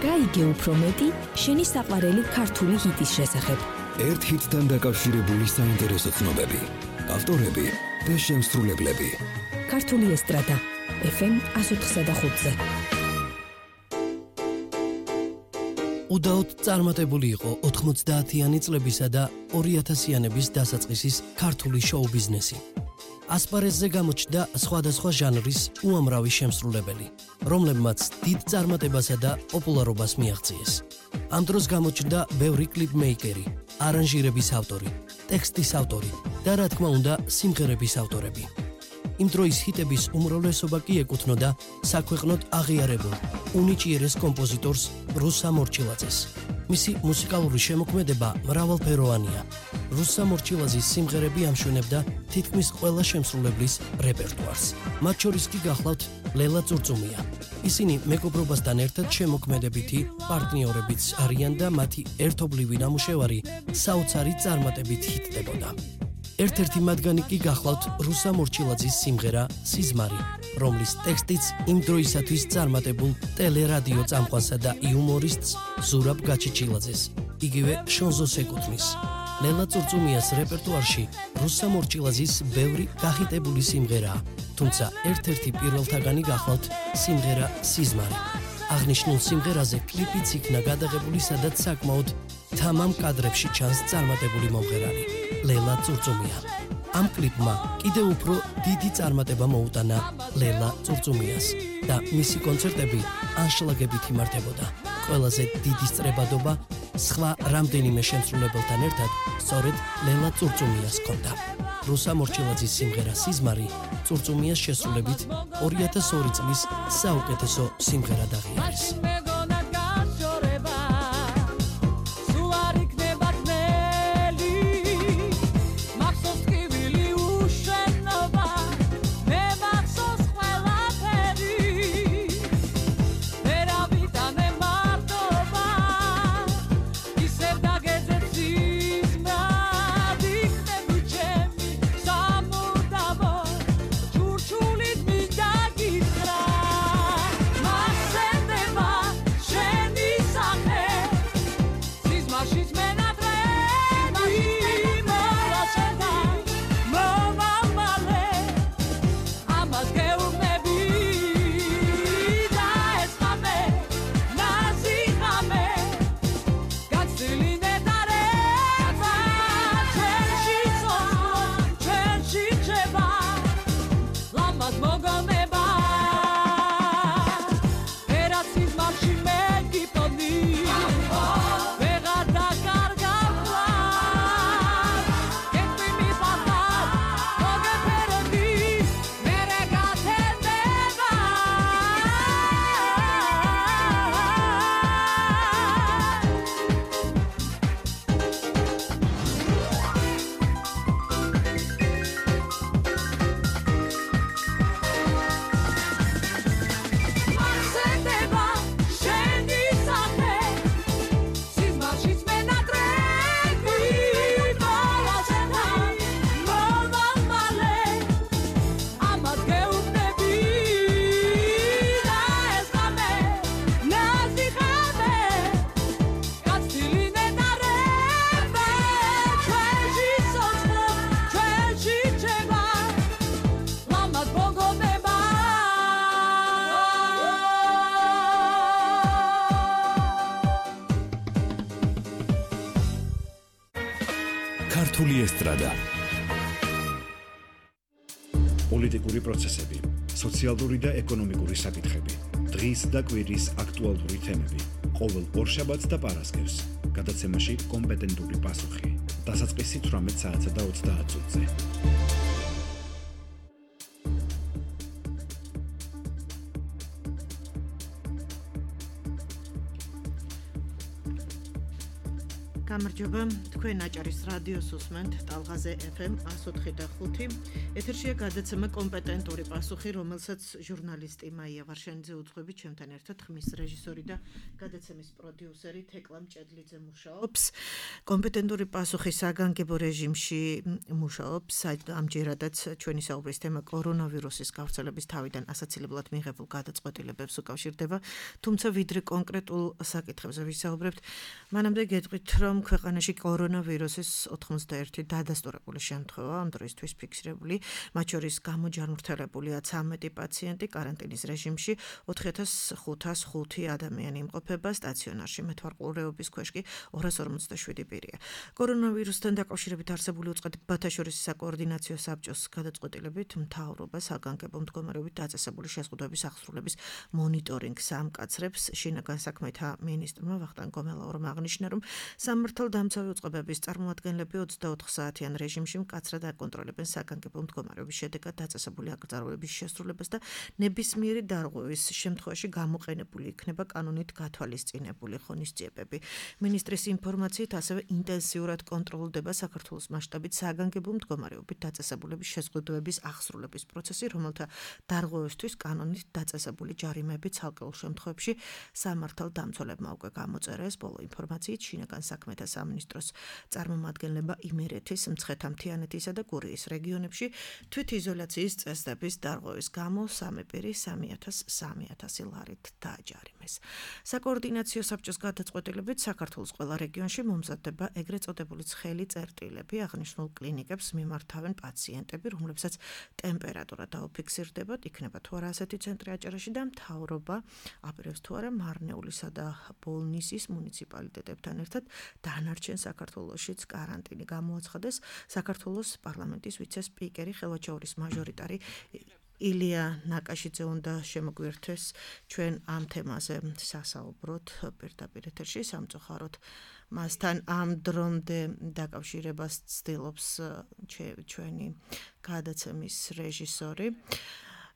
გაიგე უფრო მეტი შენი საყვარელი ქართული ჰიტის შესახებ. ერთ ჰიტთან დაკავშირებული საინტერესო ცნობები, ავტორები და შემსრულებლები. ქართული ესტრადა FM 104.5-ზე. უდაოდ წარმატებული იყო 90-იანი წლებისა და 2000-იანების დასაწყისის ქართული შოუ ბიზნესი. ასპარეზზე გამოჩნდა სხვადასხვა ჟანრის უამრავი შემსრულებელი, რომლებმაც დიდ წარმატებასა და პოპულარობას მიაღწიეს. ამ დროს გამოჩნდა ბევრი კლიპმეიკერი, არანჟირების ავტორი, ტექსტის ავტორი და რა თქმა უნდა, სიმღერების ავტორები. იმ დროის ჰიტების უმრავლესობა კი ეკუთვნოდა საქვეყნოდ აღიარებულ, უნიჭიერეს კომპოზიტორს რუსა მორჩილაძეს. მისი მუსიკალური შემოქმედება მრავალფეროვანია. რუსა მორჩილაძის სიმღერები ამშვენებდა თითქმის ყველა შემსრულებლის რეპერტუარს. მათ შორის კი გახლავთ ლელა წურწუმია. ისინი მეგობრობასთან ერთად შემოქმედებითი პარტნიორებიც არიან და მათი ერთობლივი ნამუშევარი საოცარი წარმატებით ჰიტდებოდა. ერთ-ერთი მათგანი კი გახლავთ რუსა მორჩილაძის სიმღერა სიზმარი, რომლის ტექსტიც იმ დროისათვის წარმატებულ ტელერადიო წამყვანსა და იუმორისტს ზურაბ გაჩიჩილაძეს, იგივე შონზოს ეკუთვნის. ლელა წურწუმიას რეპერტუარში რუსა მორჩილაძის ბევრი გახიტებული სიმღერაა, თუმცა ერთ-ერთი პირველთაგანი გახლავთ სიმღერა სიზმარი. აღნიშნულ სიმღერაზე კლიპიც იქნა გადაღებული, სადაც საკმაოდ თამამ კადრებში ჩანს წარმატებული მომღერალი ლელა წურწუმია. ამ კლიპმა კიდევ უფრო დიდი წარმატება მოუტანა ლელა წურწუმიას და მისი კონცერტები ანშლაგებით იმართებოდა. ყველაზე დიდი სწრებადობა სხვა რამდენიმე შემსრულებელთან ერთად სწორედ ლელა წურწუმიას ჰქონდა. რუსა მორჩილაძის სიმღერა სიზმარი წურწუმიას შესრულებით 2002 წლის საუკეთესო სიმღერად აღიარეს. ქართული ესტრადა. პოლიტიკური პროცესები, სოციალური და ეკონომიკური საკითხები, დღის და კვირის აქტუალური თემები, ყოველ ორშაბათს და პარასკევს, გადაცემაში კომპეტენტური პასუხი. დასაწყისი 18 საათსა და 30 წუთზე. გამარჯობა, თქვენ აჭარის რადიოს უსმენთ ტალღაზე FM 104.5. ეთერშია გადაცემა კომპეტენტური პასუხი, რომელსაც ჟურნალისტი მაია ვარშანიძე უძღვებით, ჩემთან ერთად ხმის რეჟისორი და გადაცემის პროდიუსერი თეკლა მჭედლიძე მუშაობს. კომპეტენტური პასუხი საგანგებო რეჟიმში მუშაობს, ამჯერადაც ჩვენი საუბრის თემა კორონავირუსის გავრცელების თავიდან ასაცილებლად მიღებულ გადაწყვეტილებებს უკავშირდება, თუმცა ვიდრე კონკრეტულ საკითხებზე ვისაუბრებთ, მანამდე გეტყვით, რომ ქვეყანაში კორონავირუსის 91 დადასტურებული შემთხვევა ამ დროისთვის ფიქსირებული, მათ შორის გამოჯანმრთელებულია 13 პაციენტი კარანტინის რეჟიმში, 4505 ადამიანი იმყოფება სტაციონარში, მეთვალყურეობის ქვეშ კი 257 პირია. კორონავირუსთან დაკავშირებით არსებული უწყებათა შორის საკოორდინაციო საბჭოს გადაწყვეტილებით მთავრობა საგანგებო მდგომარეობით დაწესებული შეზღუდვების აღსრულების მონიტორინგს ამკაცრებს. შინაგან საქმეთა მინისტრმა ვახტანგ გომელაურმა აღნიშნა, რომ სამართალდამცავი უწყებების წარმომადგენლები 24 საათიან რეჟიმში მკაცრად აკონტროლებენ საგანგებო მდგომარეობის შედეგად დაწესებული აკრძალვების შესრულებას და ნებისმიერი დარღვევის შემთხვევაში გამოყენებული იქნება კანონით გათვალისწინებული ღონისძიებები. მინისტრის ინფორმაციით ასევე ინტენსიურად კონტროლდება საქართველოს მასშტაბით საგანგებო მდგომარეობით დაწესებულების შეზღუდვების აღსრულების პროცესი, რომელთა დარღვევისთვის კანონით დაწესებული ჯარიმები ცალკეულ შემთხვევებში სამართალდამცველებმა უკვე გამოწერეს. ბოლო ინფორმაციით შინაგან საქმეთა სამინისტროს წარმომადგენლება იმერეთის, მცხეთა-მთიანეთისა და გურიის რეგიონებში თვითიზოლაციის წესდების დარღვევის გამო 3 პირი 3,000 ლარით დააჯარიმეს. საკოორდინაციო საბჭოს გადაწყვეტილებით საქართველოს ყველა რეგიონში მომზადდება ეგრეთ წოდებული ცხელი წერტილები, აღნიშნულ კლინიკებს მიმართავენ პაციენტები, რომლებსაც ტემპერატურა დაუფიქსირდებათ, იქნება თუ არა ასეთი ცენტრი აჭარაში და მთავრობა აპირებს თუ არა მარნეულისა და ბოლნისის მუნიციპალიტეტებთან ერთად დანარჩენ საქართველოშიც კარანტინი გამოაცხადეს. საქართველოს პარლამენტის ვიცე-სპიკერი ხელვაჩაურის მაჟორიტარი ილია ნაკაშიძე უნდა შემოგვიერთდეს ჩვენ ამ თემაზე სასაუბროთ პირდაპირ ეთერში, სამწუხაროდ მასთან ამ დრომდე დაკავშირებას ცდილობს ჩვენი გადაცემის რეჟისორი.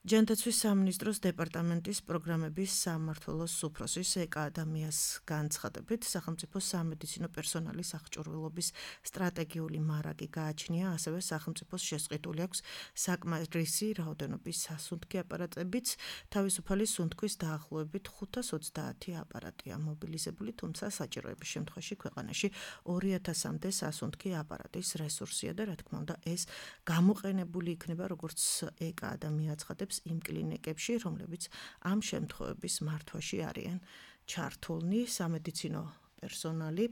ჯანდაცვის სამინისტროს დეპარტამენტის პროგრამების სამმართველოს უფროსის ეკა ადამიანს განცხადებით, სახელმწიფო სამედიცინო პერსონალის აღჭურვილობის სტრატეგიული მარაგი გააჩნია, ასევე სახელმწიფოს შესყიდული აქვს საკმარისი რაოდენობის სასუნთქი აპარატებიც, თავისუფალი სუნთქვის დაახლოებით 520 აპარატია მობილიზებული, თუმცა საჭიროების შემთხვევაში ქვეყანაში 2000-მდე სასუნთქი აპარატის რესურსია და რა თქმა უნდა ეს გამოყენებული იქნება, როგორც ეკა ადამიანი აცხადებს იმ კლინიკებში, რომლებიც ამ შემთხვევების მართვაში არიან ჩართულნი. სამედიცინო პერსონალი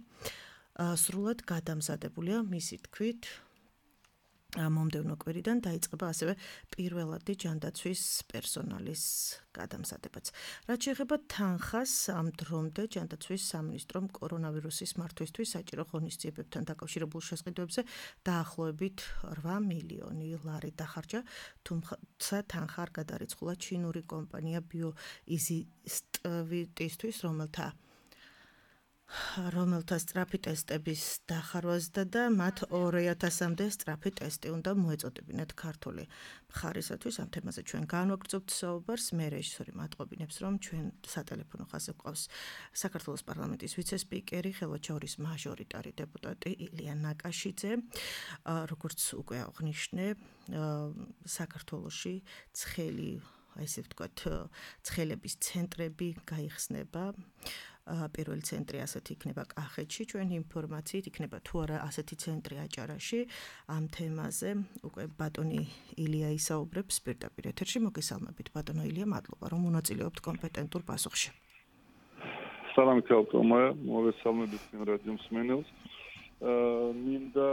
სრულად გადამზადებულია, მისი თქმით, მომდევნო კვირიდან დაიწყება ასევე პირველადი ჯანდაცვის პერსონალის გადამზადებაც. რაც შეეხება თანხას, ამ დრომდე ჯანდაცვის სამინისტრომ კორონავირუსის მართვისთვის საჭირო ღონისძიებებთან დაკავშირებულ შესყიდვებზე დაახლოებით 8 მილიონი ლარი დახარჯა, თუმცა თანხა არ გადარიცხულა ჩინური კომპანია ბიოიზისტვიტისთვის, რომელთა სწრაფი ტესტების დახარვასდა და მათ 2000-მდე სწრაფი ტესტი უნდა მოეწოდებინათ ქართული მხარისათვის. ამ თემაზე ჩვენ განვაგრძობთ საუბარს. მე რეჟისორი მატყობინებს, რომ ჩვენ სატელეფონო ხაზზე გვყავს საქართველოს პარლამენტის ვიცე-სპიკერი, ხელვაჩაურის მაჟორიტარი დეპუტატი ილია ნაკაშიძე. როგორც უკვე აღნიშნე, საქართველოში ცხელი, ესე ვთქვათ, ცხელების ცენტრები გაიხსნება. პირველი ცენტრი ასეთი იქნება კახეთში, ჩვენი ინფორმაციით იქნება თუ არა ასეთი ცენტრი აჭარაში. ამ თემაზე უკვე ბატონი ილია ისაუბრებს პირდაპირ ეთერში. მოგესალმებით ბატონო ილია, მადლობა რომ მონაწილეობთ კომპეტენტურ პასუხში. სალამი ქალთომა, მოგესალმებით რადიო მსმენელს. მინდა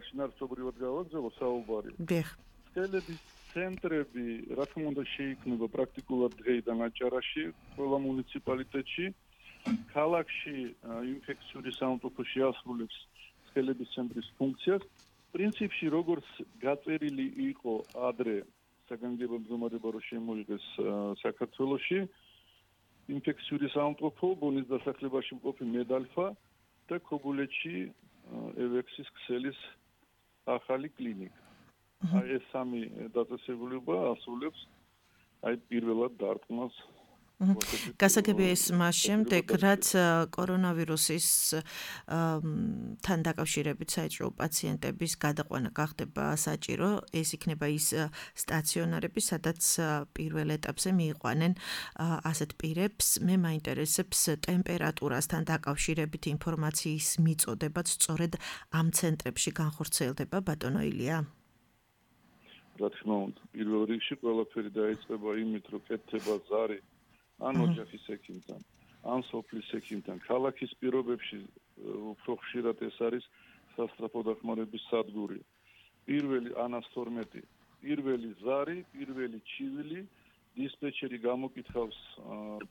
შინაარსობრივად გავაგზავნო საუბარი. ცხელების ცენტრები, რა თქმა უნდა, შეიქმნება პრაქტიკულად დღეიდან აჭარაში, ყველა მუნიციპალიტეტში. ქალაქში ინფექციური სამყოფო შეასრულებს ცხელების ცენტრის ფუნქციას. პრინციპში, როგორც გაწერილი იყო ადრე საგანგებო მდგომარეობა რო შემოიღეს საქართველოში, ინფექციური სამყოფო ბონის დასახლებაში მყოფი მედალფა და ქობულეთში ევექსის ქსელის ახალი კლინიკა. ეს სამი დაწესებულება ასრულებს პირველად დარტყმას გასაგებია ის მას შემდეგ, რაც კორონავირუსის თან დაკავშირებით საჭირო პაციენტების გადაყვანა გახდება საჭირო, ეს იქნება ის სტაციონარები, სადაც პირველ ეტაპზე მიიყვანენ ასეთ პირებს. მე მაინტერესებს ტემპერატურასთან დაკავშირებით ინფორმაციის მიწოდებაც სწორედ ამ ცენტრებში განხორციელდება, ბატონო ილია? რა თქმა უნდა, პირველ რიგში ყველაფერი დაიწყება იმით, რომ კეთდება ზარი ან ოჯახის ექიმთან, ან სოფლის ექიმთან. ქალაქის პირობებში უფრო ხშირად ეს არის სასწრაფო დახმარების სადგური. პირველი 112, პირველი ზარი, პირველი ჩივილი, დისპეჩერი გამოკითხავს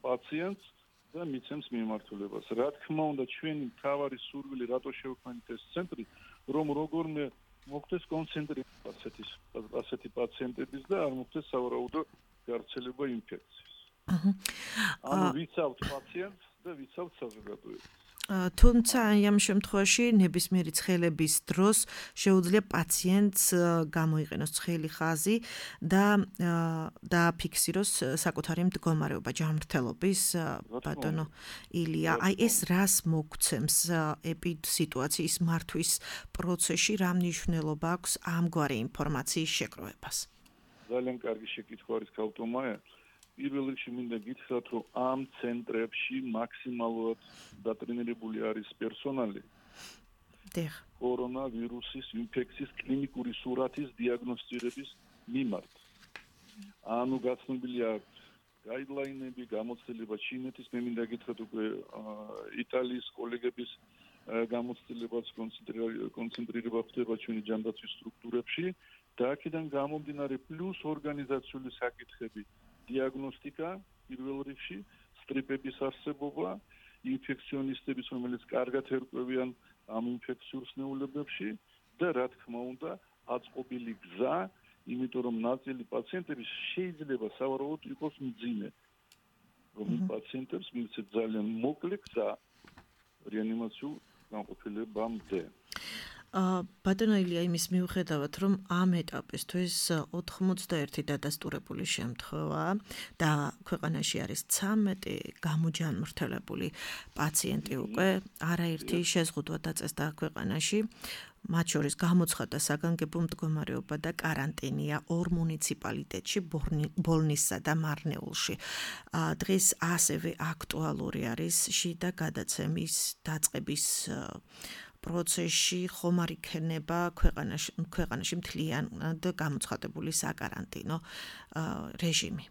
პაციენტს და მიცემს მიმართულებას. რა თქმა უნდა, ჩვენი მთავარი სურვილი რატო შევქმნით ეს ცენტრი, რომ როგორმე მოხდეს კონცენტრირება ასეთი პაციენტების და არ მოხდეს სავარაუდო გავრცელება ინფექციის. ანუ ვიცავთ პაციენტს და ვიცავთ საზოგადოებას. თუმცა ამ შემთხვევაში ნებისმიერი ცხელების დროს შეუძლია პაციენტს გამოიყენოს ცხელი ხაზი და დააფიქსიროს საკუთარი მდგომარეობა ჯანმრთელობის, ბატონო ილია. აი ეს რას მოგცემს სიტუაციის მართვის პროცესში, რა მნიშვნელობა აქვს ამგვარი ინფორმაციის შეგროვებას? ძალიან კარგი შეკითხვა არის ქალტომაია. პირველ რიგში მინდა გითხრათ, რომ ამ ცენტრებში მაქსიმალურად დატრენირებული არის პერსონალი. კორონავირუსის ინფექციის კლინიკური სურათის დიაგნოსტირების მიმართ. ანუ გაცნობილია გაიდლაინები, გამოცდილება ჩინეთის, მე მინდა გითხრათ უკვე იტალიის კოლეგების გამოცდილებაც კონცენტრირება ხდება ჩვენი ჯანდაცვის სტრუქტურებში და აქედან გამომდინარე პლუს ორგანიზაციული საკითხები, დიაგნოსტიკა პირველ რიგში, სტრიპების არსებობა, ინფექციონისტების, რომელიც კარგად ერკვევიან ამ ინფექციურ სნეულებებში და რა თქმა უნდა, აწყობილი გზა, იმიტომ რომ ნაწილი პაციენტების შეიძლება სავარაუდოდ იყოს მძიმე. რომ იმ პაციენტებს მივცეთ ძალიან მოკლე გზა რეანიმაციულ განყოფილებამდე. ბატონო ილია, იმის მიუხედავად, რომ ამ ეტაპისთვის 91 დადასტურებული შემთხვევაა და ქვეყანაში არის 13 გამოჯანმრთელებული პაციენტი უკვე, არაერთი შეზღუდვა დაწესდა ქვეყანაში. მათ შორის გამოცხადდა საგანგებო მდგომარეობა და კარანტინია 2 მუნიციპალიტეტში, ბოლნისსა და მარნეულში. დღეს ასევე აქტუალური არის შიდა გადაცემის დაწყების პროცესში ხომ არ იქნება ქვეყანაში მთლიანად გამოცხადებული საკარანტინო რეჟიმი.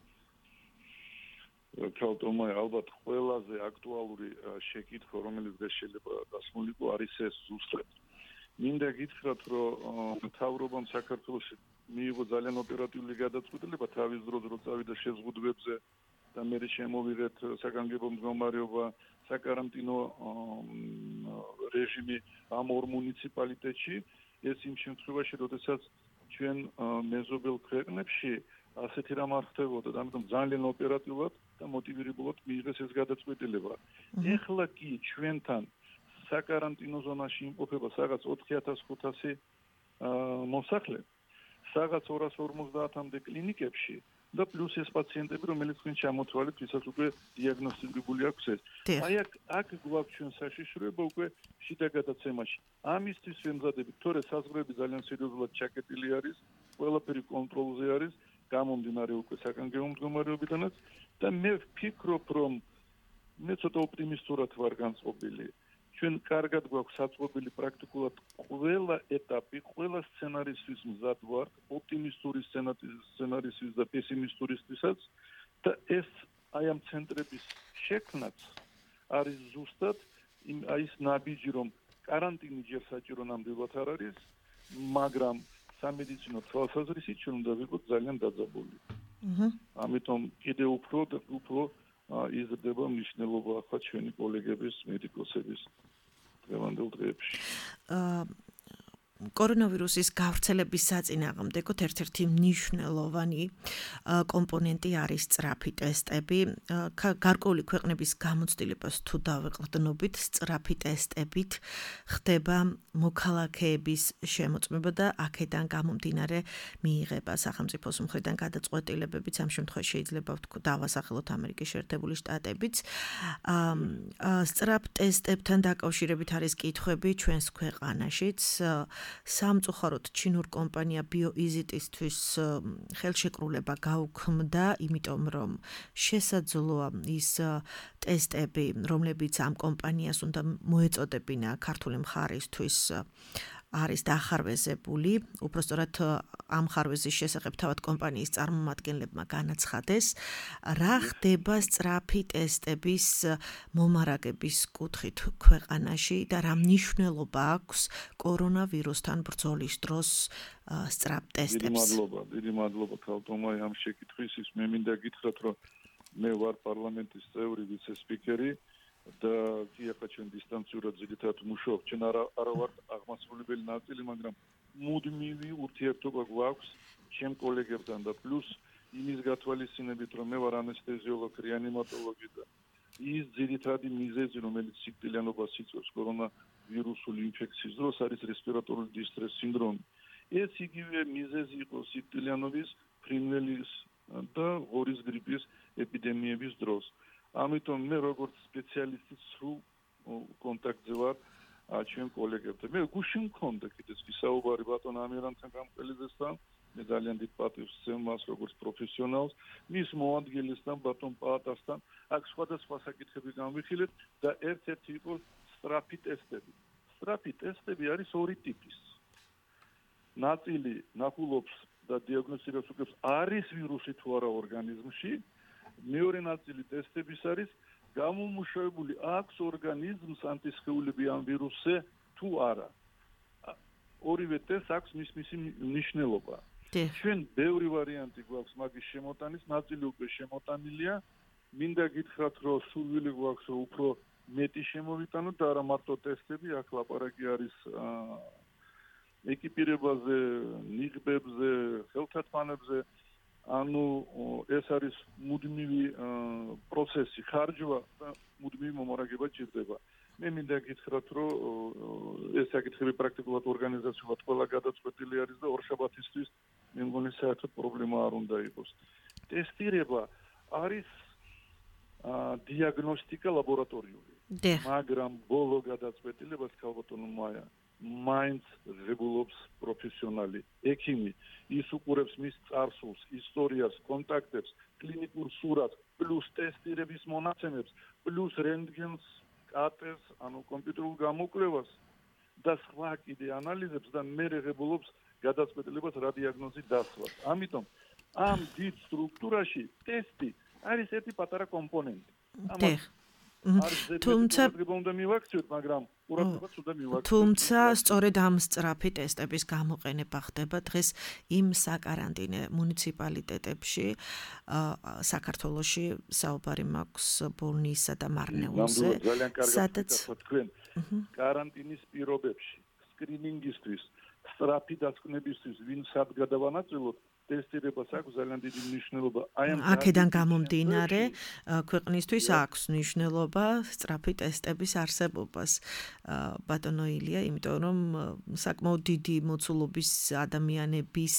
ქალტომაია, ალბათ ყველაზე აქტუალური შეკითხვა, რომელიც შეიძლება დასმულიყო, არის ეს ზუსტად. მინდა გითხრათ, რომ მთავრობამ საქართველოში მიიღო ძალიან ოპერატიული გადაწყვეტილება თავის დროზე, რომ წავიდა შეზღუდვებზე და მე შემოვიღეთ საგანგებო მდგომარეობა, საკარანტინო რეჟიმი ამ 2 მუნიციპალიტეტში. ეს იმ შემთხვევაში, როდესაც ჩვენ მეზობელ ქვეყნებში ასეთი რამ არ ხდებოდა, ამიტომ ძალიან ოპერატიულად და მოტივირებულად მიიღეს ეს გადაწყვეტილება. ეხლა კი ჩვენთან საკარანტინო ზონაში იმყოფება რაღაც 4500 მოსახლე, რაღაც 250-მდე კლინიკებში და პლუს ეს პაციენტები, რომელიც თქვენ ჩამოთვალეთ, ვისაც უკვე დიაგნოსტირებული აქვს ეს. აი აქ გვაქვს ჩვენ საშიშროება უკვე შიდა გადაცემაში. ამისთვის ვემზადებით, თორე საზღვრები ძალიან სერიოზულად ჩაკეტილი არის, ყველაფერი კონტროლზე არის, გამომდინარე უკვე საკანგებო მდგომარეობიდანაც და მე ვფიქრობ, რომ მე ცოტა ოპტიმისტურად ვარ განწყობილი. ჩვენ კარგად გვაქვს საწყობილი პრაქტიკულად ყველა ეტაპი, ყველა სცენარისთვის მზად ვარ, ოპტიმისტური სცენარისთვის და პესიმისტურისთვისაც და ეს აი ამ ცენტრების შექმნაც არის ზუსტად ის ნაბიჯი, რომ каранტინი ჯერ საჭირო ნამდვილად არ არის, მაგრამ სამედიცინო თვალსაზრისით ჩვენ უნდა ვიყოთ ძალიან დაძაბული. ამიტომ კიდევ უფრო იზრდება მნიშვნელობა ახლა ჩვენი კოლეგების, მედიკოსების დღევანდელ დღეებში. კორონავირუსის გავრცელების საწინააღმდეგოდ ერთ-ერთი მნიშვნელოვანი კომპონენტი არის სწრაფი ტესტები. გარკვეული ქვეყნების გამოცდილებას თუ დავეყრდნობით, სწრაფი ტესტებით ხდება მოქალაქეების შემოწმება და აქედან გამომდინარე მიიღება სახელმწიფოს მხრიდან გადაწყვეტილებებიც. ამ შემთხვევაში შეიძლება დავასახელოთ ამერიკის შეერთებული შტატებიც. სწრაფ ტესტებთან დაკავშირებით არის კითხვები ჩვენს ქვეყანაშიც. სამწუხაროდ ჩინურ კომპანია BioEasyTისთვის ხელშეკრულება გაუქმდა, იმიტომ რომ შესაძლოა ის ტესტები, რომლებიც ამ კომპანიას უნდა მოეწოდებინა ქართული მხარისთვის არის დახარვეზებული, უпростоრად ამ ხარვეზის შესახებ თავად კომპანიის წარმომადგენლებმა განაცხადეს, რა ხდება სწრაფი ტესტების მომარაგების კუთხით ქვეყანაში და რა მნიშვნელობა აქვს კორონავირუსთან ბრძოლის დროს სწრაფ ტესტებს. დიდი მადლობა თალთომაი ამ შეკითხვისთვის. მე მინდა გითხრათ, რომ მე ვარ პარლამენტის წევრი, ვიცე-სპიკერი და კი ახლა ჩვენ დისტანციურად ზედითად მუშაობთ. ჩვენ არა ვართ აღმასრულებელი ნაწილი, მაგრამ მუდმივი ურთიერთობა გვაქვს ჩემ კოლეგებთან და პლუს იმის გათვალისწინებით, რომ მე ვარ ანესთეზიოლოგი, რეანიმატოლოგი და ის ძირითადი მიზეზი, რომელიც სიკვდილიანობას იწვევს კორონავირუსული ინფექციის დროს, არის რესპირატორული დისტრეს სინდრომი. ეს იგივე მიზეზი იყო სიკვდილიანობის, ფრინველის და ღორის გრიპის ეპიდემიების დროს. ამიტომ მე როგორც სპეციალისტი სრულ კონტაქტზე ვარ ჩვენ კოლეგებთან. მე გუში მქონდა კიდეც ვისაუბარი ბატონ ამირანთან გამყელიზესთან, მე ძალიან დიდ პატივს ვცემ მას როგორც პროფესიონალს, მის მოადგილესთან ბატონ პაატასთან, აქ სხვადასხვა საკითხები გამვიხილეთ და ერთ-ერთი იყო სწრაფი ტესტები. სწრაფი ტესტები არის ორი ტიპის. ნაწილი ნახულობს და დიაგნოსტიკას უკებს არის ვირუსი თუ არა ორგანიზმში. მეორე ნაწილი ტესტების არის გამომუშავებული აქვს ორგანიზმს ანტისხეულები ამ ვირუსზე თუ არა. ორივე ტესტს აქვს მისი მნიშვნელობა. ჩვენ ბევრი ვარიანტი გვაქვს მაგის შემოტანის, ნაწილი უკვე შემოტანილია. მინდა გითხრათ, რომ სურვილი გვაქვს, რომ უფრო მეტი შემოვიტანოთ და არა მარტო ტესტები, აქ ლაპარაკი არის ეკიპირებაზე, ნიღბებზე, ხელთათმანებზე. ანუ ეს არის მუდმივი პროცესი, ხარჯვა და მუდმივი მომარაგება ჭირდება. მე მინდა გითხრათ, რომ ეს საკითხები პრაქტიკულად ორგანიზაციულად ყველა გადაწყვეტილი არის და ორშაბათისთვის მე მგონი საერთოდ პრობლემა არ უნდა იყოს. ტესტირება არის დიაგნოსტიკა ლაბორატორიული. მაგრამ ბოლო გადაწყვეტილებას ქალბატონო მაია მაინც ღებულობს პროფესიონალი, ექიმი, ის უყურებს მის წარსულს, ისტორიას, კონტაქტებს, კლინიკურ სურათს, პლუს ტესტირების მონაცემებს, პლუს რენტგენს, კატეს, ანუ კომპიუტერულ გამოკვლევას და სხვა კიდე ანალიზებს და მერე ღებულობს გადაწყვეტილებას რა დიაგნოზი დასვას. ამიტომ ამ დიდ სტრუქტურაში ტესტი არის ერთი პატარა კომპონენტი. თუმცა სწორედ ამ სწრაფი ტესტების გამოყენება ხდება დღეს იმ საკარანტინე მუნიციპალიტეტებში საქართველოში საუბარი მაქვს ბოლნისსა და მარნეულზე, სადაც თქვენ კარანტინის პირობებში სკრინინგისთვის, სწრაფი დასკვნებისთვის ვინ სად გადავანაწილოთ ტესტირებას აქვს ძალიან დიდი მნიშვნელობა. აქედან გამომდინარე, ქვეყნისთვის აქვს მნიშვნელობა სწრაფი ტესტების არსებობას. ბატონო ილია, იმიტომ რომ საკმაოდ დიდი მოცულობის ადამიანების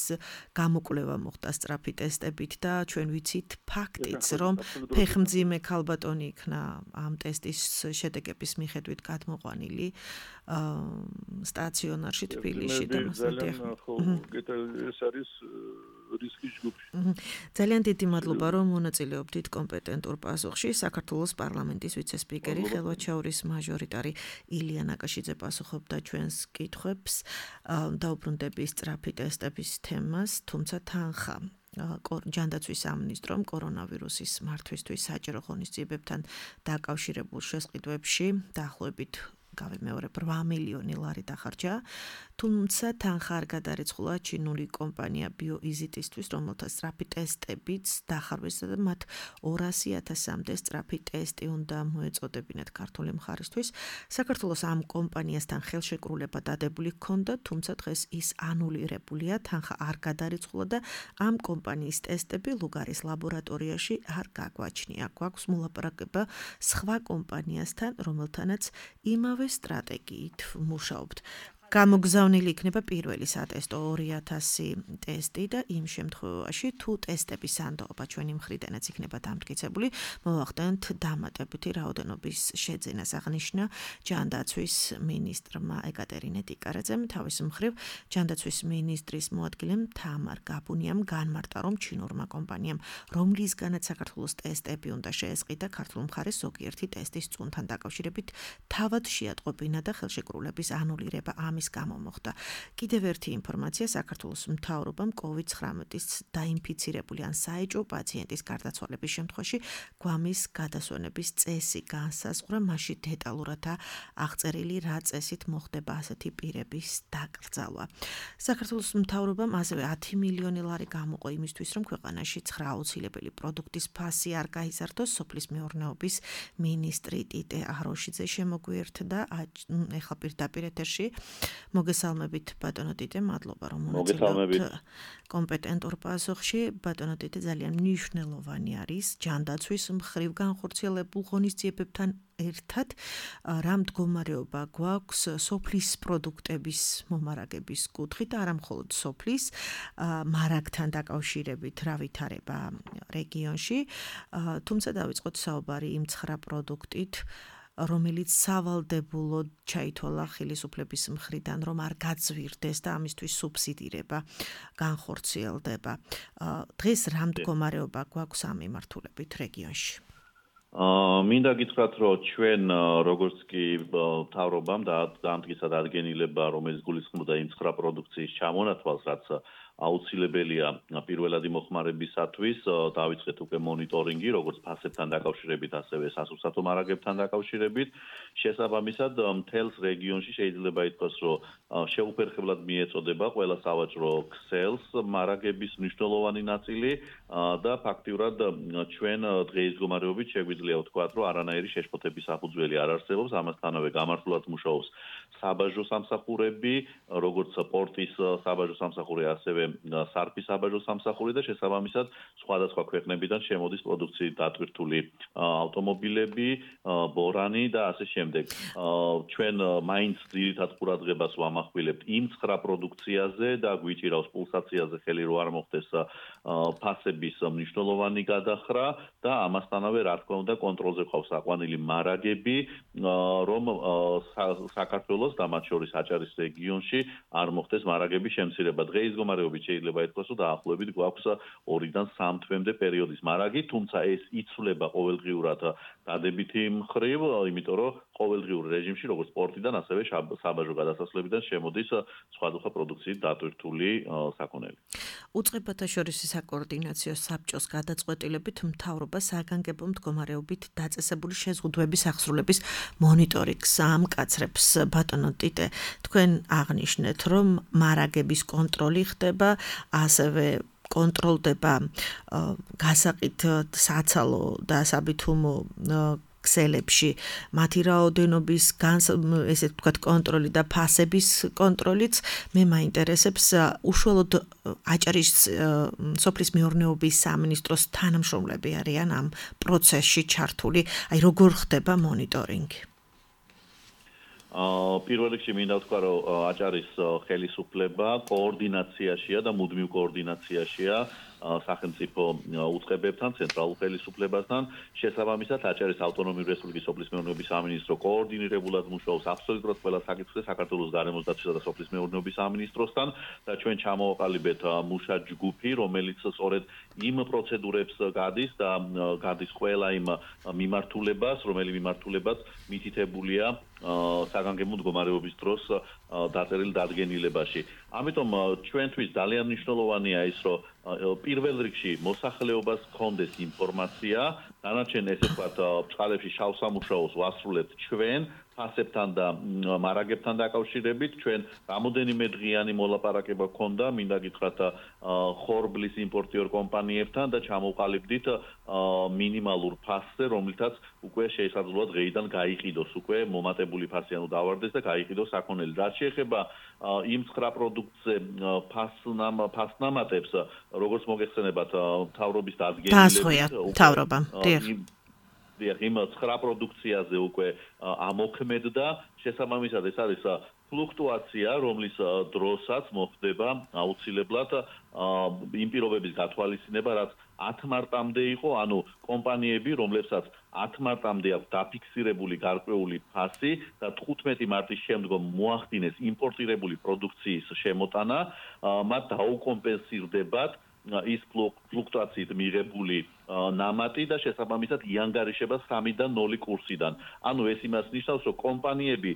გამოკვლევა მოხდა სწრაფი ტესტებით და ჩვენ ვიცით ფაქტიც, რომ ფეხმძიმე ქალბატონი იქნა ამ ტესტის შედეგების მიხედვით გადმოყვანილი სტაციონარში თბილისში და ეს არის რისკის ჯგუფი. ძალიან დიდი მადლობა, რომ მონაწილეობდით კომპეტენტურ პასუხში. საქართველოს პარლამენტის ვიცე-სპიკერი, ხელვაჩაურის მაჟორიტარი ილია ნაკაშიძე პასუხობდა ჩვენს კითხვებს. დაუბრუნდები სწრაფი ტესტების თემას, თუმცა თანხა ჯანდაცვის სამინისტრომ კორონავირუსის მართვისთვის საჯარო ღონისძიებებთან დაკავშირებულ შესყიდვებში დაახლოებით გავიმეორებ 8 მილიონი ლარი დახარჯა, თუმცა თანხა არ გადარიცხულა ჩინური კომპანია BioEasy-ისთვის, რომელთა სწრაფი ტესტებიც დახარვეს და მათ 200,000-მდე სწრაფი ტესტი უნდა მოეწოდებინათ ქართული მხარისთვის. საქართველოს ამ კომპანიასთან ხელშეკრულება დადებული ჰქონდა, თუმცა დღეს ის ანულირებულია, თანხა არ გადარიცხულა და ამ კომპანიის ტესტები ლუგარის ლაბორატორიაში არ გაგვაჩნია. გვაქვს მოლაპარაკება სხვა კომპანიასთან, რომელთანაც იმავე სტრატეგიით მუშაობთ. გამოგზავნილი იქნება პირველი სატესტო 2,000 ტესტი და იმ შემთხვევაში თუ ტესტების სანდოობა ჩვენი მხრიდანაც იქნება დამტკიცებული, მოვახდენთ დამატებითი რაოდენობის შეძენას, აღნიშნა ჯანდაცვის მინისტრმა ეკატერინე ტიკარაძემ. თავის მხრივ ჯანდაცვის მინისტრის მოადგილემ თამარ გაბუნიამ განმარტა, რომ ჩინურმა კომპანიამ, რომლისგანაც საქართველოს ტესტები უნდა შეესყიდა, ქართულ მხარეს ზოგიერთი ტესტის წუნთან დაკავშირებით თავად შეატყობინა და ხელშეკრულების ანულირება ამის გამო მოხდა. კიდევ ერთი ინფორმაცია, საქართველოს მთავრობამ COVID-19-ის დაინფიცირებული ან საეჭვო პაციენტის გარდაცვალების შემთხვევაში გვამის გადასვენების წესი განსაზღვრა, მასში დეტალურადაა აღწერილი, რა წესით მოხდება ასეთი პირების დაკრძალვა. საქართველოს მთავრობამ ასევე 10 მილიონი ლარი გამოყო იმისთვის, რომ ქვეყანაში 9 აუცილებელი პროდუქტის ფასი არ გაიზარდოს. სოფლის მეურნეობის მინისტრი ტიტე აროშიძე შემოგვიერთდა ეხლა პირდაპირ ეთერში. მოგესალმებით ბატონო ტიტე, მადლობა რომ მონაწილეობთ კომპეტენტურ პასუხში. ბატონო ტიტე, ძალიან მნიშვნელოვანი არის ჯანდაცვის მხრივ განხორციელებულ ღონისძიებებთან ერთად რა მდგომარეობა გვაქვს სოფლის პროდუქტების მომარაგების კუთხით, არა მხოლოდ სოფლის მარაგთან დაკავშირებით რა ვითარება რეგიონში, თუმცა დავიწყოთ საუბარი იმ 9 პროდუქტით, რომელიც სავალდებულოდ ჩაითვალა ხელისუფლების მხრიდან, რომ არ გაძვირდეს და ამისთვის სუბსიდირება განხორციელდება. დღეს რა მდგომარეობა გვაქვს ამ მიმართულებით რეგიონში? მინდა გითხრათ, რომ ჩვენ როგორც კი მთავრობამ დაამტკიცა დადგენილება, რომელიც გულისხმობდა იმ 9 პროდუქციის ჩამონათვალს, რაც აუცილებელია პირველადი მოხმარებისათვის, დავიწყეთ უკვე მონიტორინგი, როგორც ფასებთან დაკავშირებით, ასევე სასურსათო მარაგებთან დაკავშირებით. შესაბამისად, მთელს რეგიონში შეიძლება ითქვას, რომ შეუფერხებლად მიეწოდება ყველა სავაჭრო ქსელს მარაგების მნიშვნელოვანი ნაწილი და ფაქტიურად ჩვენ დღეის მდგომარეობით შეგვიძლია ვთქვათ, რომ არანაირი შეშფოთების საფუძველი არ არსებობს, ამასთანავე გამართულად მუშაობს საბაჟო სამსახურები, როგორც პორტის საბაჟო სამსახური, ასევე სარფის საბაჟო სამსახური და შესაბამისად სხვადასხვა ქვეყნებიდან შემოდის პროდუქციით დატვირთული ავტომობილები, ბორანი და ასე შემდეგ. ჩვენ მაინც ძირითად ყურადღებას ვამახვილებთ იმ 9 პროდუქციაზე და გვიჭირავს პულსაციაზე ხელი რო არ მოხდეს ფასების მნიშვნელოვანი გადახრა და ამასთანავე რა თქმა უნდა კონტროლზე ყავს აყვანილი მარაგები, რომ საქართველოს და მათ შორის აჭარის რეგიონში არ მოხდეს მარაგების შემცირება. დღეის მდგომარეობით შეიძლება ითქვას, რომ დაახლოებით გვაქვს 2-დან 3 თვემდე პერიოდის მარაგი, თუმცა ეს იცვლება ყოველდღიურად დადებითი მხრივ, იმიტომ რომ ყოველდღიურ რეჟიმში როგორც სპორტიდან, ასევე საბაჟო გადასასვლელებიდან შემოდის სხვადასხვა პროდუქციით დატვირთული საქონელი. უწყებათა შორის საკოორდინაციო საბჭოს გადაწყვეტილებით მთავრობა საგანგებო მდგომარეობით დაწესებული შეზღუდვების აღსრულების მონიტორინგს ამკაცრებს. ბატონო ტიტე, თქვენ აღნიშნეთ, რომ მარაგების კონტროლი ხდება, ასევე კონტროლდება გასაყიდ საცალო და საბითუმო ქსელებში მათი რაოდენობის ესე ვთქვათ კონტროლი და ფასების კონტროლიც. მე მაინტერესებს უშუალოდ აჭარის სოფლის მეურნეობის სამინისტროს თანამშრომლები არიან ამ პროცესში ჩართული, აი როგორ ხდება მონიტორინგი? პირველ რიგში მინდა ვთქვა, რომ აჭარის ხელისუფლება კოორდინაციაშია და მუდმივ კოორდინაციაშია სახელმწიფო უწყებებთან, ცენტრალურ ხელისუფლებასთან. შესაბამისად, აჭარის ავტონომიური რესპუბლიკის სოფლის მეურნეობის სამინისტრო კოორდინირებულად მუშაობს აბსოლუტურად ყველა საკითხზე საქართველოს გარემოს დაცვისა და სოფლის მეურნეობის სამინისტროსთან და ჩვენ ჩამოვაყალიბეთ მუშა ჯგუფი, რომელიც სწორედ იმ პროცედურებს გადის და გადის ყველა იმ მიმართულებას, რომელი მიმართულებაც მითითებულია საგანგებო მდგომარეობის დროს დაწერილ დადგენილებაში. ამიტომ ჩვენთვის ძალიან მნიშვნელოვანია ის, რომ პირველ რიგში მოსახლეობას ჰქონდეს ინფორმაცია დანარჩენ ესე ვთქვათ წყალებში შავ სამუშაოს ვასრულებთ ჩვენ ფასებთან და მარაგებთან დაკავშირებით ჩვენ რამოდენიმე დღიანი მოლაპარაკება გქონდა მინდა გითხრათ ხორბლის იმპორტიორ კომპანიებთან და ჩამოვყალიბდით მინიმალურ ფასზე რომლითაც უკვე შესაძლოა დღეიდან გაიყიდოს უკვე მომატებული ფასი ანუ დავარდეს და გაიყიდოს საქონელი რაც შეეხება იმ 9 პროდუქტზე ფასნამატებს როგორც მოგეხსენებათ მთავრობის დადგენილებით დასხვია მთავრობა იმ 9 პროდუქციაზე უკვე ამოქმედდა შესაბამისად ეს არის ფლუქტუაცია რომლის დროსაც მოხდება აუცილებლად იმ პირობების გათვალისწინება რაც 10 მარტამდე იყო ანუ კომპანიები რომლებსაც 10 მარტამდე აქვს დაფიქსირებული გარკვეული ფასი და 15 მარტის შემდგომ მოახდინეს იმპორტირებული პროდუქციის შემოტანა მათ დაუკომპენსირდებათ ის ფლუქტუაციით მიღებული ნამატი და შესაბამისად იანგარიშება 3-დან 0 კურსიდან. ანუ ეს იმას ნიშნავს, რომ კომპანიები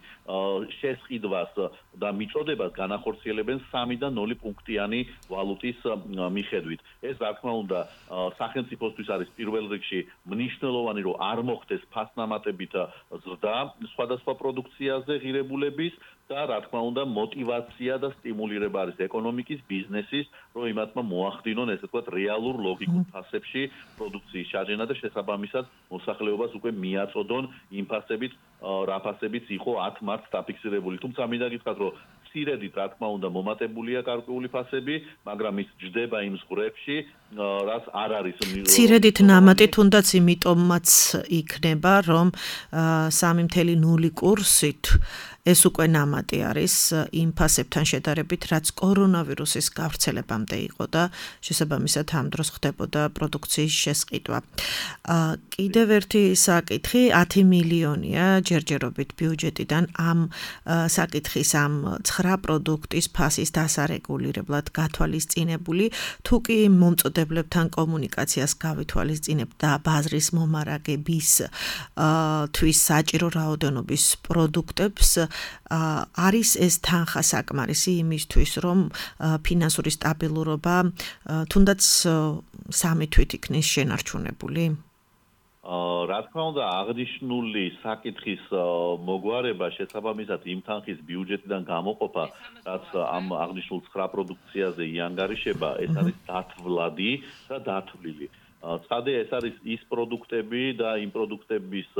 შესყიდვას და მიწოდებას განახორციელებენ 3-დან 0 პუნქტიანი ვალუტის მიხედვით. ეს რა თქმა უნდა სახელმწიფოსთვის არის პირველ რიგში მნიშვნელოვანი, რომ არ მოხდეს ფასნამატებით ზრდა სხვადასხვა პროდუქციაზე ღირებულების და რა თქმა უნდა мотивация და სტიმულირება არის ეკონომიკის ბიზნესის, რომ იმათმა მოახდინონ ესე ვთქვათ რეალურ ლოგიკურ ფასებში პროდუქციის ჩაჯენა და შესაბამისად მოსახლეობას უკვე მიაწოდონ იმ ფასებით, რა ფასებიც იყო 10 მარტს დაფიქსირებული. თუმცა მინდა გითხრათ, რომ ცირედით რა თქმა უნდა მომატებულია გარკვეული ფასები, მაგრამ ის ჯდება იმ ზღვრებში, რაც არ არის ცირედით ნამატი თუნდაც იმიტომაც იქნება, რომ 3.0 კურსით ეს უკვე ნამატი არის იმ ფასებთან შედარებით, რაც კორონავირუსის გავრცელებამდე იყო და შესაბამისად ამ დროს ხდებოდა პროდუქციის შესყიდვა. კიდევ ერთი საკითხი 10 მილიონია ჯერჯერობით ბიუჯეტიდან ამ საკითხის ამ 9 პროდუქტის ფასის დასარეგულირებლად გათვალისწინებული, თუ კი მომწოდებლებთან კომუნიკაციას გავითვალისწინებთ და ბაზრის მომარაგების თვის საჭირო რაოდენობის პროდუქტებს არის ეს თანხა საკმარისი იმისთვის, რომ ფინანსური სტაბილურობა თუნდაც 3 თვით იქნის შენარჩუნებული? რა თქმა უნდა, აღნიშნული საკითხის მოგვარება შესაბამისად იმ თანხის ბიუჯეტიდან გამოყოფა, რაც ამ აღნიშნულ 9 პროდუქციაზე იანგარიშება, ეს არის დათვლადი და დათვლილი. ცხადია, ეს არის ის პროდუქტები და იმ პროდუქტების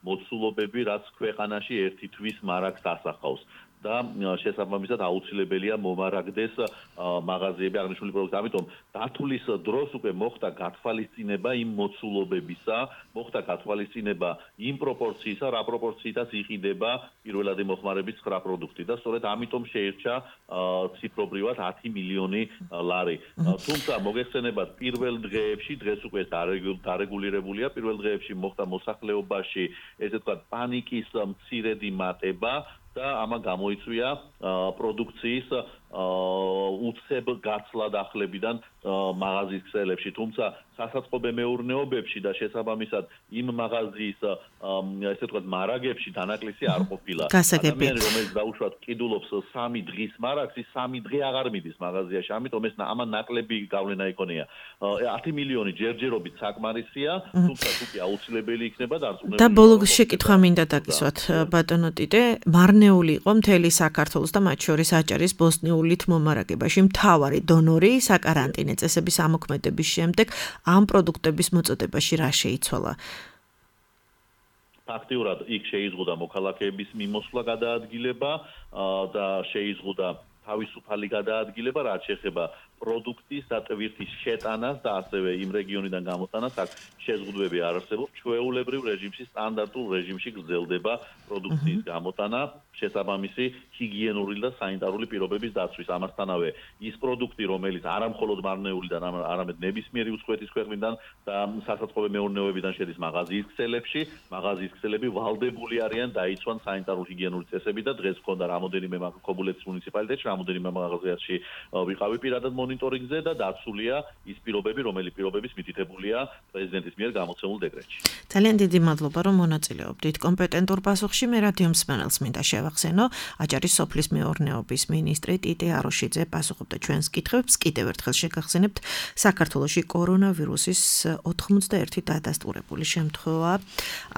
მოცულობები, რაც ქვეყანაში ერთი თვის მარაგს ასახავს. და შესაბამისად აუცილებელია მომარაგდეს მაღაზიები აღნიშნული პროდუქტი. ამიტომ დათვლის დროს უკვე მოხდა გათვალისწინება იმ მოცულობებისა, მოხდა გათვალისწინება იმ პროპორციისა, რა პროპორციითაც იყიდება პირველადი მოხმარების 9 პროდუქტი და სწორედ ამიტომ შეირჩა ციფრობრივად 10 მილიონი ლარი. თუმცა მოგეხსენებათ პირველ დღეებში, დღეს უკვე დარეგულირებულია, პირველ დღეებში მოხდა მოსახლეობაში ესე ვთქვათ პანიკის მცირედი მატება და ამან გამოიწვია პროდუქციის უცებ გაცლა დახლებიდან მაღაზიის ქსელებში, თუმცა სასაწყობე მეურნეობებში და შესაბამისად იმ მაღაზიის ესე ვთქვათ მარაგებში დანაკლისი არ ყოფილა. ადამიანი რომელიც დაუშვათ კიდულობს 3 დღის მარაგს, ის 3 დღე აღარ მიდის მაღაზიაში, ამიტომ ეს ამან ნაკლები გავლენა იქონია. 10 მილიონი ჯერჯერობით საკმარისია, თუმცა თუ კი აუცილებელი იქნება დარწმუნებული. და ბოლო შეკითხვა მინდა დაგისვათ ბატონო ტიტე, მარნეული იყო მთელი საქართველოს და მათ შორის აჭარის ბოსნიულით მომარაგებაში მთავარი დონორი საკარანტინე წესების ამოქმედების შემდეგ ამ პროდუქტების მოწოდებაში რა შეიცვალა? ფაქტიურად იქ შეიზღუდა მოქალაქეების მიმოსვლა გადაადგილება და შეიზღუდა თავისუფალი გადაადგილება, რაც შეეხება პროდუქტის და ტვირთის შეტანას და ასევე იმ რეგიონიდან გამოტანას, აქ შეზღუდვები არ არსებობს. ჩვეულებრივ რეჟიმში, სტანდარტულ რეჟიმში გრძელდება პროდუქციის გამოტანა, შესაბამისი ჰიგიენური და სანიტარული პირობების დაცვის. ამასთანავე ის პროდუქტი, რომელიც არა მხოლოდ მარნეულიდან, არამედ ნებისმიერი უცხოეთის ქვეყნიდან და სასაწყობე მეურნეობიდან შედის მაღაზიის ქსელებში, მაღაზიის ქსელები ვალდებული არიან დაიცვან სანიტარულ ჰიგიენური წესები და დღეს მქონდა რამოდენიმე ქობულეთის მუნიციპალიტეტში, რამოდენიმე მაღაზიაში ვიყავი პირადად მონიტორინგზე და დაცულია ის პირობები, რომელი პირობების მითითებულია პრეზიდენტის მიერ გამოცემულ დეკრეტში. ძალიან დიდი მადლობა, რომ მონაწილეობდით კომპეტენტურ პასუხში. მე რადიო მსმენელს მინდა შევახსენო, აჭარის სოფლის მეურნეობის მინისტრი ტიტე აროშიძე პასუხობდა ჩვენს კითხვებს. კიდევ ერთხელ შეგახსენებთ, საქართველოში კორონავირუსის 91 დადასტურებული შემთხვევა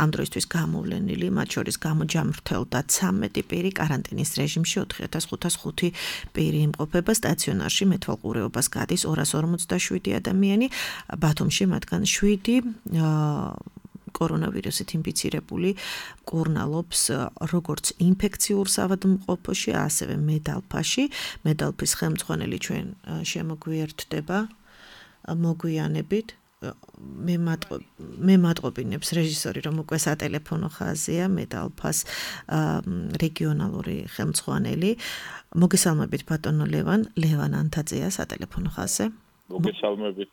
ამ დროისთვის გამოვლენილი, მათ შორის გამოჯამრთელდა 13 პირი კარანტინის რეჟიმში, 4505 პირი იმყოფება სტაციონარში, მეთვალყურეობას გადის 247 ადამიანი, ბათუმში მათგან 7 კორონავირუსით ინფიცირებული მკურნალობს როგორც ინფექციურ სავადმყოფოში, ასევე მედალფაში. მედალფის ხელმძღვანელი ჩვენ შემოგვიერთდება მოგვიანებით. მე მატყობინებს რეჟისორი, რომ უკვე სატელეფონო ხაზია მედალფას რეგიონალური ხელმძღვანელი. მოგესალმებით ბატონო ლევან ანთაძეა სატელეფონო ხაზზე. მოგესალმებით.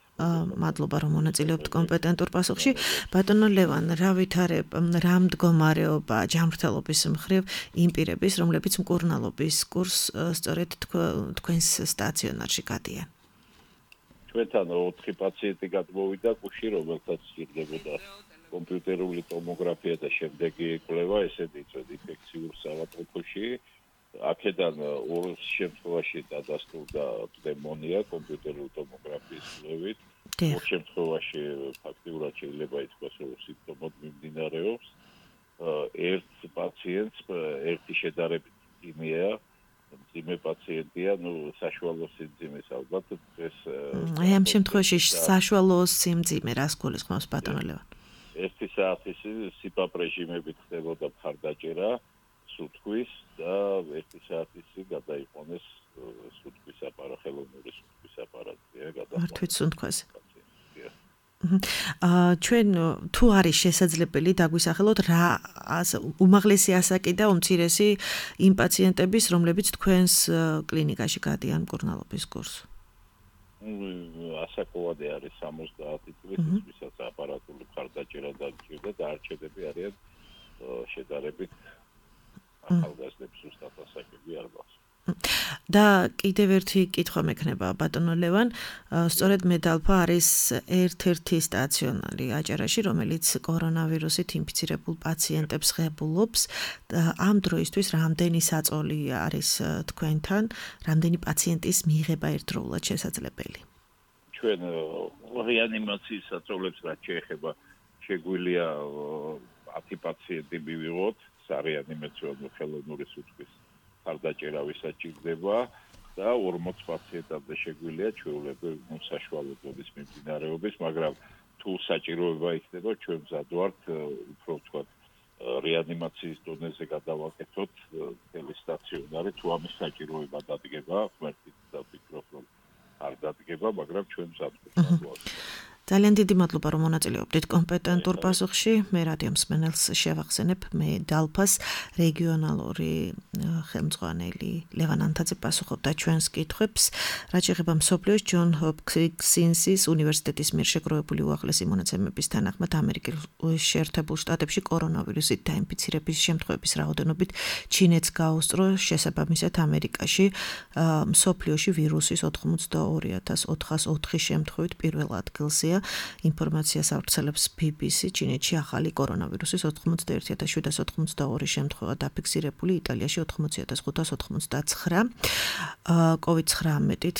მადლობა რომ მონაწილეობთ კომპეტენტურ პასუხში. ბატონო ლევან, რა ვითარებ, რა მდგომარეობა ჯანმრთელობის მხრივ იმ პირების, რომლებიც მკურნალობის კურსს სწორედ თქვენს სტაციონარში გადიან? ჩვენთან 4 პაციენტი გადმოვიდა კუში, რომელთაც სჭირდებოდა კომპიუტერული ტომოგრაფია და შემდეგი კვლევა, ესეთი წვედი ინფექციურ სავადმყოფოში. აქედან 2 შემთხვევაში დადასტურდა პნევმონია კომპიუტერული ტომოგრაფიის კვლევით. 2 შემთხვევაში ფაქტიურად შეიძლება ითქვას, რომ სიმპტომად მიმდინარეობს. ერთ პაციენტს ერთი შედარებით მძიმეა, მძიმე პაციენტია, საშუალო სიმძიმეს ალბათ ეს აი ამ შემთხვევაში საშუალო სიმძიმე რას გულისხმობს ბატონო ლევან? 1 საათის სიპაპ რეჟიმებით ხდებოდა მხარდაჭერა სუნთქვის და 1 საათის წინ გადაიყვანეს სუნთქვის აპარატი, ხელოვნური სუნთქვის აპარატია გადაყვანეს. მართვით სუნთქვაზე. ჩვენ თუ არის შესაძლებელი დაგვისახელოთ რა უმაღლესი ასაკი და უმცირესი იმ პაციენტების, რომლებიც თქვენს კლინიკაში გადიან მკურნალობის კურსს? ასაკოვანი არის 70 წლის, ვისაც აპარატული მხარდაჭერა დაჭირდა და არჩევები არიან შედარებით ახალგაზრდებს უბრალოდ ასაკები არ გვაქვს. და კიდევ ერთი კითხვა მექნება ბატონო ლევან, სწორედ მედალფა არის ერთ-ერთი სტაციონარი აჭარაში, რომელიც კორონავირუსით ინფიცირებულ პაციენტებს ღებულობს. ამ დროისთვის რამდენი საწოლი არის თქვენთან, რამდენი პაციენტის მიღება ერთდროულად შესაძლებელი? ჩვენ რეანიმაციის საწოლებს რაც შეეხება, შეგვიძლია 10 პაციენტი მივიღოთ სარეანიმაციო ხელოვნური სუნთქვის მხარდაჭერა ვისაც ჭირდება და 40 პაციენტამდე შეგვიძლია ჩვეულებრივ საშუალო დონის მიმდინარეობის, მაგრამ თუ საჭიროება იქნება, ჩვენ მზად ვართ უფრო ვთქვათ რეანიმაციის დონეზე გადავაკეთოთ მთელი სტაციონარი, თუ ამის საჭიროება დადგება, ღმერთით დავფიქრობ, რომ არ დადგება, მაგრამ ჩვენ მზად ვართ. ძალიან დიდი მადლობა რომ მონაწილეობდით კომპეტენტურ პასუხში. მე რადიო მსმენელს შევახსენებ, მე დალფას რეგიონალური ხელმძღვანელი ლევან ანთაძე პასუხობდა ჩვენს კითხვებს. რაც შეეხება მსოფლიოს ჯონ ჰოპკინსის უნივერსიტეტის მიერ შეგროვებული უახლესი მონაცემების თანახმად, ამერიკის შეერთებულ შტატებში კორონავირუსით დაინფიცირების შემთხვევების რაოდენობით ჩინეთს გაუსწრო, შესაბამისად ამერიკაში მსოფლიოში ვირუსის 82404 შემთხვევით პირველ ადგილზეა. ინფორმაციას ავრცელებს BBC. ჩინეთში ახალი კორონავირუსის 81782 შემთხვევა დაფიქსირებული, იტალიაში 80589, COVID-19-ით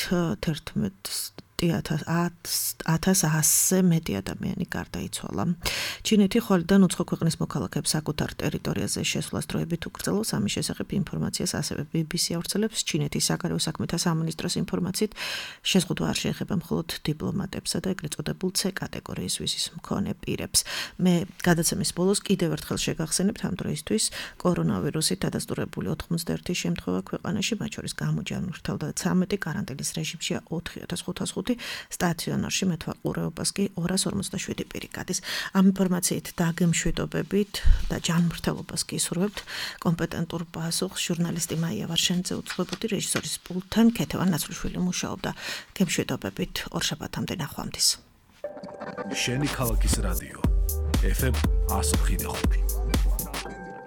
11,100-ზე მეტი ადამიანი გარდაიცვალა. ჩინეთი ხვალიდან უცხო ქვეყნის მოქალაქეებს საკუთარ ტერიტორიაზე შესვლას დროებით უკრძალავს. ამის შესახებ ინფორმაციას ასევე BBC ავრცელებს. ჩინეთის საგარეო საქმეთა სამინისტროს ინფორმაციით შეზღუდვა არ შეეხება მხოლოდ დიპლომატებსა და ეგრეთ წოდებულ C კატეგორიის ვიზის მქონე პირებს. მე გადაცემის ბოლოს კიდევ ერთხელ შეგახსენებთ, ამ დროისთვის კორონავირუსით დადასტურებული 91 შემთხვევა ქვეყანაში, მათ შორის გამოჯანმრთელდა 13, კარანტინის რეჟიმშია 4505, სტაციონარში მეთვალყურეობას კი 247 პირი გადის. ამ ინფორმაციით დაგემშვიდობებით და ჯანმრთელობას გისურვებთ. კომპეტენტურ პასუხს ჟურნალისტი მაია ვარშენიძე უძღვებოდი, რეჟისორის პულტთან ქეთევან ნაცვლიშვილი მუშაობდა. გემშვიდობებით, ორშაბათამდე ნახვამდის. შენი ქალაქის რადიო FM 105.5